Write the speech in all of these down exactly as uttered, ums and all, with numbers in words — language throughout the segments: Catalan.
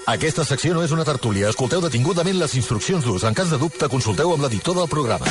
Aquesta secció no és una tertúlia. Escolteu detingudament les instruccions d'ús. En cas de dubte, consulteu amb l'editor del programa.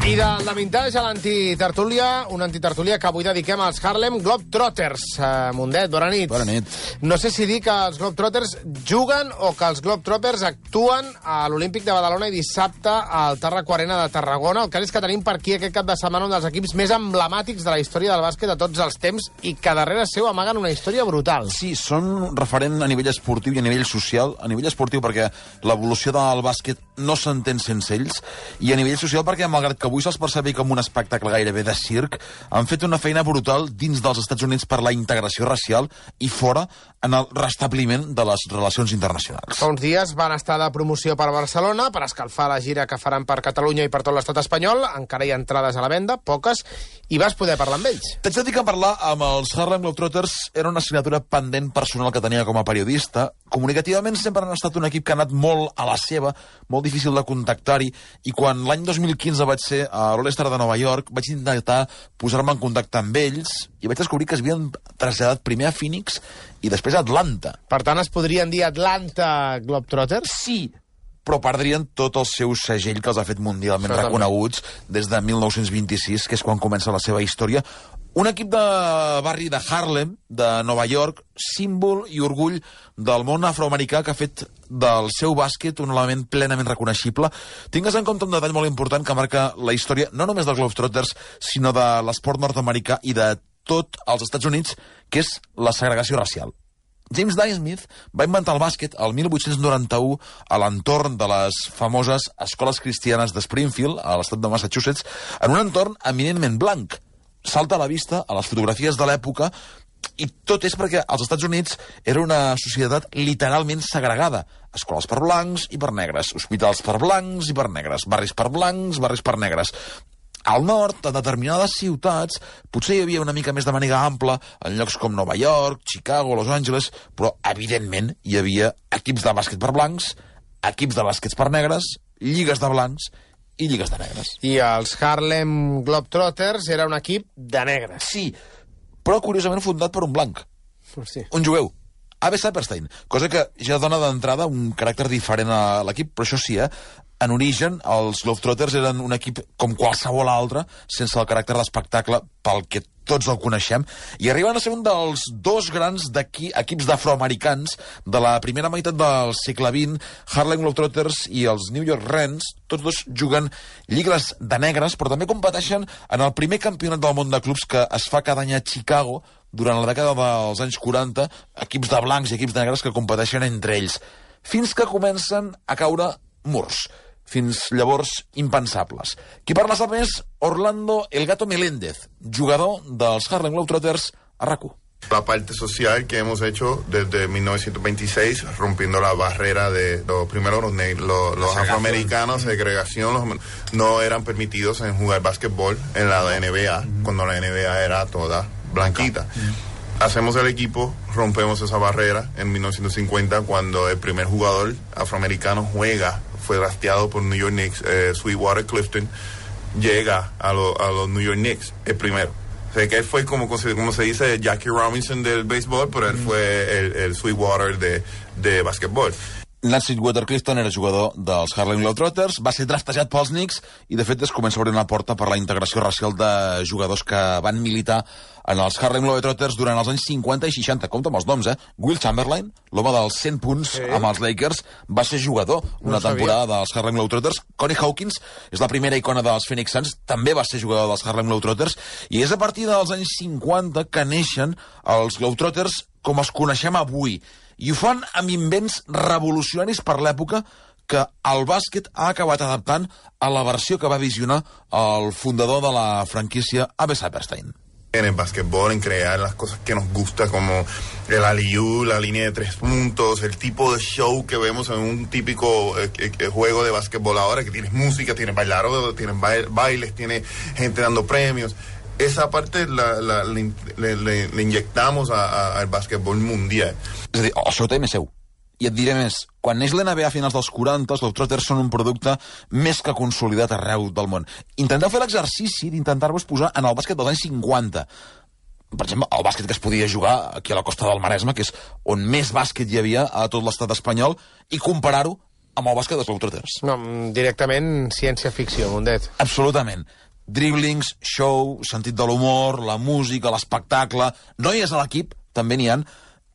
I de la vintage a l'antitertúlia, una antitertúlia que avui dediquem als Harlem Globetrotters. Uh, Mundet, bona nit. Bona nit. No sé si dir que els Globetrotters juguen o que els Globetrotters actuen a l'Olímpic de Badalona i dissabte al Tarraco Arena de Tarragona. El cas és que tenim per aquí aquest cap de setmana un dels equips més emblemàtics de la història del bàsquet de tots els temps i que darrere seu amaguen una història brutal. Sí, són referent a nivell esportiu i a nivell social. A nivell esportiu perquè l'evolució del bàsquet no s'entén sense ells, i a nivell social perquè, malgrat que avui se'ls percebi com un espectacle gairebé de circ, han fet una feina brutal dins dels Estats Units per la integració racial i fora en el restabliment de les relacions internacionals. Fa uns dies van estar de promoció per Barcelona per escalfar la gira que faran per Catalunya i per tot l'estat espanyol. Encara hi ha entrades a la venda, poques, i vas poder parlar amb ells. T'haig de dir que parlar amb els Harlem Globetrotters era una assignatura pendent personal que tenia com a periodista. Comunicativament sempre han estat un equip que ha anat molt a la seva, molt difícil de contactar-hi, i quan l'any dos mil quinze vaig ser a l'All-Star de Nova York, vaig intentar posar-me en contacte amb ells i vaig descobrir que es havien traslladat primer a Phoenix i després a Atlanta. Per tant, es podrien dir Atlanta Globetrotters? Sí, però perdrien tot el seu segell que els ha fet mundialment Això reconeguts des de mil nou-cents vint-i-sis, que és quan comença la seva història. Un equip de barri de Harlem, de Nova York, símbol i orgull del món afroamericà, que ha fet del seu bàsquet un element plenament reconeixible. Tingues en compte un detall molt important que marca la història no només dels Globetrotters, sinó de l'esport nord-americà i de tot els Estats Units, que és la segregació racial. James Naismith va inventar el bàsquet el mil vuit-cents noranta-u a l'entorn de les famoses escoles cristianes de Springfield, a l'estat de Massachusetts, en un entorn eminentment blanc. Salta a la vista a les fotografies de l'època, i tot és perquè als Estats Units era una societat literalment segregada. Escoles per blancs i per negres, hospitals per blancs i per negres, barris per blancs, barris per negres. Al nord, a determinades ciutats, potser hi havia una mica més de màniga ampla, en llocs com Nova York, Chicago, Los Angeles, però, evidentment, hi havia equips de bàsquet per blancs, equips de bàsquets per negres, lligues de blancs i lligues de negres. I els Harlem Globetrotters era un equip de negres. Sí, però curiosament fundat per un blanc. Sí. Un jueu. Abe Saperstein, cosa que ja dona d'entrada un caràcter diferent a l'equip, però això sí, eh? En origen, els Globetrotters eren un equip com qualsevol altre, sense el caràcter d'espectacle pel que tots el coneixem, i arriben a ser un dels dos grans equips d'afroamericans de la primera meitat del segle vint, Harlem Globetrotters i els New York Rens. Tots dos juguen lligues de negres, però també competeixen en el primer campionat del món de clubs que es fa cada any a Chicago, durant la dècada dels anys quaranta, equips de blancs i equips de negres que competeixen entre ells, fins que comencen a caure murs. Fins llavors impensables. Qui parla sap més? Orlando El Gato Meléndez, jugador dels Harlem Globetrotters a RAC u. La parte social que hemos hecho desde mil novecientos veintiséis, rompiendo la barrera de los primeros, los, los, los afroamericanos, segregación, los, no eran permitidos en jugar básquetbol en la N B A, uh-huh. cuando la N B A era toda blanquita. Uh-huh. Hacemos el equipo, rompemos esa barrera en mil novecientos cincuenta, cuando el primer jugador afroamericano juega, fue drafteado por New York Knicks, eh, Sweetwater Clifton, llega a, lo, a los New York Knicks, el primero. O sea, que él fue como, como se dice Jackie Robinson del béisbol, pero él fue el, el Sweetwater de, de bàsquetbol. Lance Sweetwater Clifton era jugador dels Harlem Globetrotters, va ser draftejat pels Knicks i, de fet, es comença a obrir una porta per la integració racial de jugadors que van militar en els Harlem Globetrotters durant els anys cinquanta i seixanta. Compte amb els noms, eh? Will Chamberlain, l'home dels cent punts sí. amb els Lakers, va ser jugador una no temporada dels Harlem Globetrotters. Connie Hawkins és la primera icona dels Phoenix Suns, també va ser jugador dels Harlem Globetrotters, i és a partir dels anys cinquanta que neixen els Globetrotters com els coneixem avui. I ho fan amb invents revolucionaris per l'època que el bàsquet ha acabat adaptant a la versió que va visionar el fundador de la franquícia, Abe Saperstein. En el básquetbol, en crear las cosas que nos gusta, como el alley-oop, la línea de tres puntos, el tipo de show que vemos en un típico eh, eh, juego de básquetbol ahora, que tienes música, tienes bailaros, tienes bail- bailes, tienes gente dando premios. Esa parte la, la, le, le, le inyectamos a, a, al bàsquetbol mundial. És a dir, el seu tema és seu. I et diré més, quan neix l'N B A a finals dels quaranta, els Globetrotters són un producte més que consolidat arreu del món. Intenteu fer l'exercici d'intentar-vos posar en el bàsquet dels anys cinquanta. per exemple, el bàsquet que es podia jugar aquí a la costa del Maresme, que és on més bàsquet hi havia a tot l'estat espanyol, i comparar-ho amb el bàsquet dels Globetrotters. No, directament ciència-ficció, Mundet. Absolutament. Dribblings, show, sentit de l'humor, la música, l'espectacle... Noies a l'equip, també n'hi ha.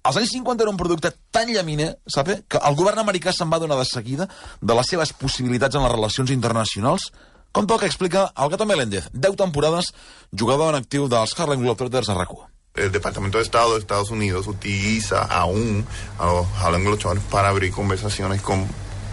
Als anys cinquanta era un producte tan llaminer, sabe, que el govern americà se'n va donar de seguida de les seves possibilitats en les relacions internacionals, com tot que explica el Gato Meléndez, deu temporades, jugador en actiu dels Harlem Globetrotters a RAC u. El Departamento de Estado de Estados Unidos utiliza aún a los Harlem Globetrotters para abrir conversaciones con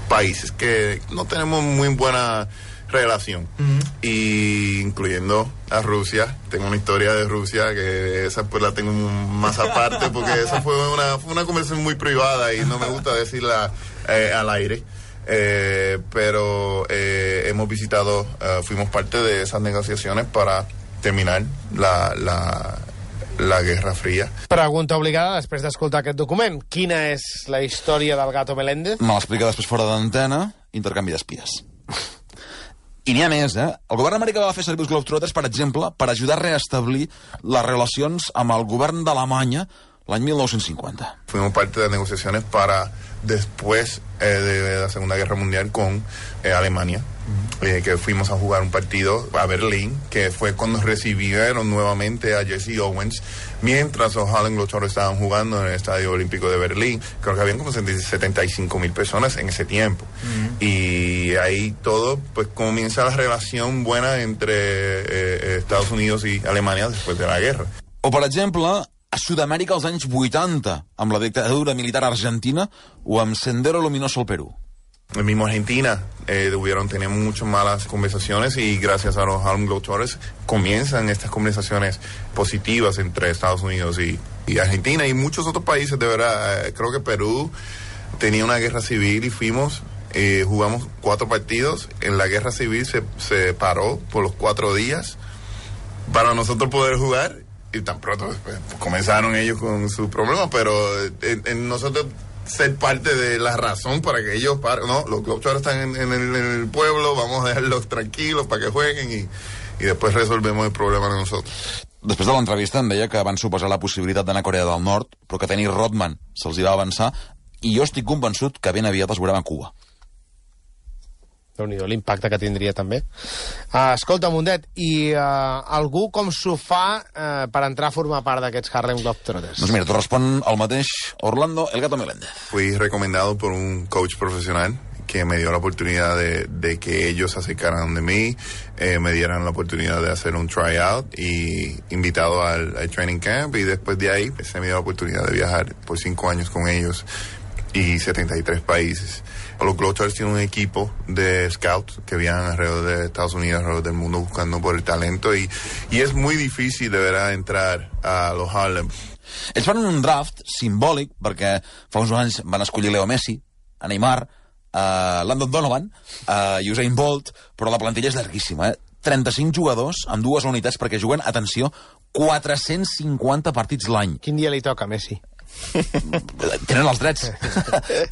países que no tenemos muy buena relación, uh-huh. y incluyendo a Rusia. Tengo una historia de Rusia que esa pues la tengo más aparte porque esa fue una, fue una conversación muy privada y no me gusta decirla eh, al aire. Eh, pero eh, hemos visitado, uh, fuimos parte de esas negociaciones para terminar la, la, la Guerra Fría. Pregunta obligada després d'escoltar aquest document. Quina és la història del Gato Meléndez? Me l'explica després fora d'antena, intercanvi d'espies. I n'hi ha més, eh? El govern americà va fer servir els Globetrotters, per exemple, per ajudar a reestablir les relacions amb el govern d'Alemanya l'any mil nou-cents cinquanta. Fuimos parte de negociaciones para después eh, de la Segunda Guerra Mundial con eh, Alemania, uh-huh. eh, que fuimos a jugar un partido a Berlín, que fue cuando recibieron nuevamente a Jesse Owens, mientras los Harlem Globetrotters estaban jugando en el Estadio Olímpico de Berlín. Creo que habían como setenta y cinco mil personas en ese tiempo. Uh-huh. Y ahí todo, pues comienza la relación buena entre eh, Estados Unidos y Alemania después de la guerra. O, per exemple, a Sud-amèrica als anys vuitanta, amb la dictadura militar argentina, o amb Sendero Luminoso al Perú. El mismo Argentina, eh, hubieron, tenían muchas malas conversaciones y gracias a los Harlem Globetrotters comienzan estas conversaciones positivas entre Estados Unidos y, y Argentina y muchos otros países, de verdad. Eh, creo que Perú tenía una guerra civil y fuimos, eh, jugamos cuatro partidos. En la guerra civil se, se paró por los cuatro días para nosotros poder jugar. Y tan pronto pues, comenzaron ellos con sus problemas, pero en, en nosotros ser parte de la razón para que ellos paren. No, los Globetrotters están en, en, el, en el pueblo, vamos a dejarlos tranquilos para que jueguen y, y después resolvemos el problema de nosotros. Després de l'entrevista em deia que van suposar la possibilitat d'anar a Corea del Nord, però que Dennis Rodman se'ls hi va avançar, i jo estic convençut que ben aviat els veurem a Cuba. Déu-n'hi-do, l'impacte que tindria també. Uh, escolta, Mundet, i uh, algú com s'ho fa uh, per entrar a formar part d'aquests Harlem Globetrotters? Doncs mira, t'ho respon el mateix Orlando El Gato Meléndez. Fui recomendado por un coach profesional que me dio la oportunidad de, de que ellos se acercaran de mí, eh, me dieran la oportunidad de hacer un tryout y invitado al, al training camp, y después de ahí pues, se me dio la oportunidad de viajar por cinco años con ellos y setenta y tres países. Los Globetrotters tienen un equipo de scouts que viajan alrededor de Estados Unidos, alrededor del mundo buscando por el talento y, y es muy difícil de verdad entrar a los Harlem. Ells fan un draft simbòlic perquè fa uns anys van escollir Leo Messi, a Neymar, a Landon Donovan, a Usain Bolt, però la plantilla és llarguíssima, eh? trenta-cinc jugadors amb dues unitats perquè juguen, atenció, quatre-cents cinquanta partits l'any. Quin dia li toca, Messi? Tenen els drets.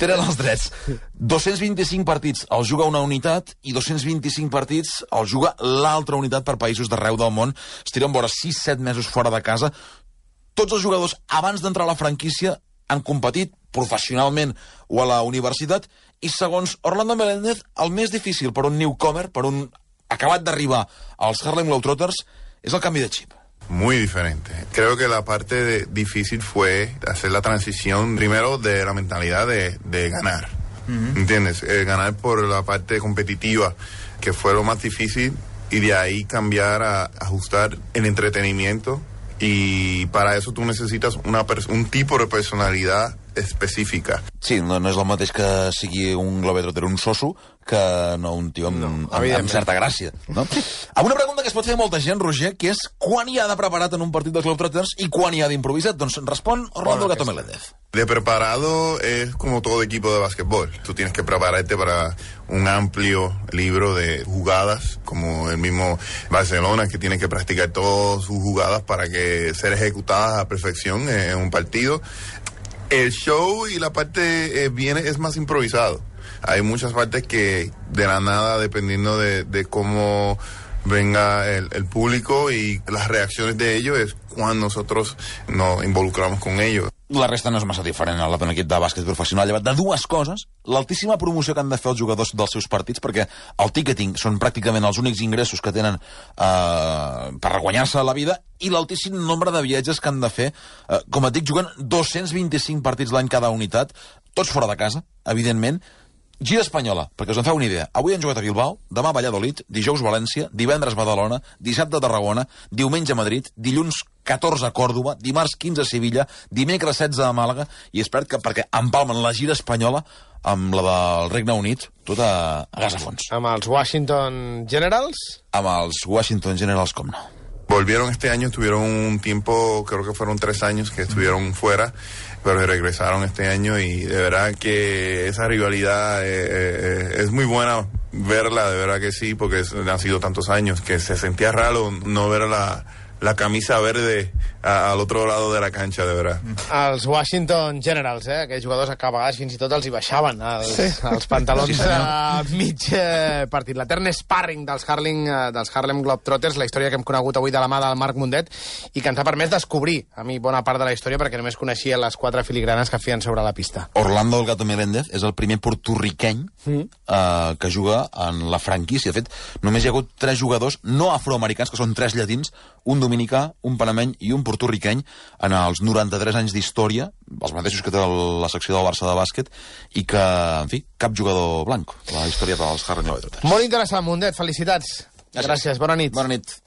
Tenen els drets. dos-cents vint-i-cinc partits els juga una unitat i dos-cents vint-i-cinc partits els juga l'altra unitat per països d'arreu del món. Es tiren vora sis set mesos fora de casa. Tots els jugadors, abans d'entrar a la franquícia, han competit professionalment o a la universitat i, segons Orlando Meléndez, el més difícil per un newcomer, per un acabat d'arribar als Harlem Globetrotters, és el canvi de xip. Muy diferente. Creo que la parte de, difícil fue hacer la transición primero de la mentalidad de, de ganar. Uh-huh. ¿Entiendes? Eh, ganar por la parte competitiva, que fue lo más difícil, y de ahí cambiar a ajustar el entretenimiento. Y para eso tú necesitas una un tipo de personalidad específica. Sí, no, no és el mateix que sigui un Globetrotter, un soso, que no un tio amb, no, amb, amb certa gràcia. No? Amb una pregunta que es pot fer molta gent, Roger, que és quan hi ha de preparat en un partit dels Globetrotters i quan hi ha d'improvisat? Doncs respon Orlando bueno, Gato Meléndez. De preparado es como todo equipo de básquetbol. Tú tienes que prepararte para un amplio libro de jugadas, como el mismo Barcelona, que tiene que practicar todas sus jugadas para que ser ejecutadas a perfección en un partido. El show y la parte eh, viene es más improvisado. Hay muchas partes que de la nada, dependiendo de, de cómo venga el, el público y las reacciones de ellos es cuando nosotros nos involucramos con ellos. La resta no és massa diferent a la d'un equip de bàsquet professional, llevat de dues coses: l'altíssima promoció que han de fer els jugadors dels seus partits, perquè el ticketing són pràcticament els únics ingressos que tenen eh, per guanyar-se la vida, i l'altíssim nombre de viatges que han de fer. Eh, com et dic, juguen dos-cents vint-i-cinc partits l'any cada unitat, tots fora de casa, evidentment. Gira espanyola, perquè us en feu una idea. Avui han jugat a Bilbao, demà a Valladolid, dijous València, divendres Badalona, dissabte a Tarragona, diumenge a Madrid, dilluns catorze a Còrdova, dimarts quinze a Sevilla, dimecres setze a Màlaga, i espera't que perquè empalmen la gira espanyola amb la del Regne Unit, tot a, a gas a fons. Amb els Washington Generals? Amb els Washington Generals, com no. Volvieron este año, estuvieron un tiempo, creo que fueron tres años que estuvieron fuera, pero regresaron este año y de verdad que esa rivalidad eh, eh, es muy buena verla, de verdad que sí, porque es, han sido tantos años que se sentía raro no ver la, la camisa verde a, al otro lado de la cancha, de verdad. Els Washington Generals, eh? Aquells jugadors que a vegades fins i tot els hi baixaven els, sí. els pantalons sí, a mig eh, partit. L'etern sparring dels Harlem, eh, dels Harlem Globetrotters, la història que hem conegut avui de la mà del Marc Mundet i que ens ha permès descobrir, a mi, bona part de la història, perquè només coneixia les quatre filigranes que feien sobre la pista. Orlando El Gato Meléndez és el primer portorriqueny mm. eh, que juga en la franquícia. De fet, només hi ha hagut tres jugadors no afroamericans, que són tres llatins, un dominicà, un panameny i un portorriqueny en els noranta-tres anys d'història, els mateixos que té la secció del Barça de bàsquet, i que, en fi, cap jugador blanc, la història dels Harlem Globetrotters. Molt interessant, Mundet, felicitats. Gràcies, Gràcies. Bona nit. Bona nit.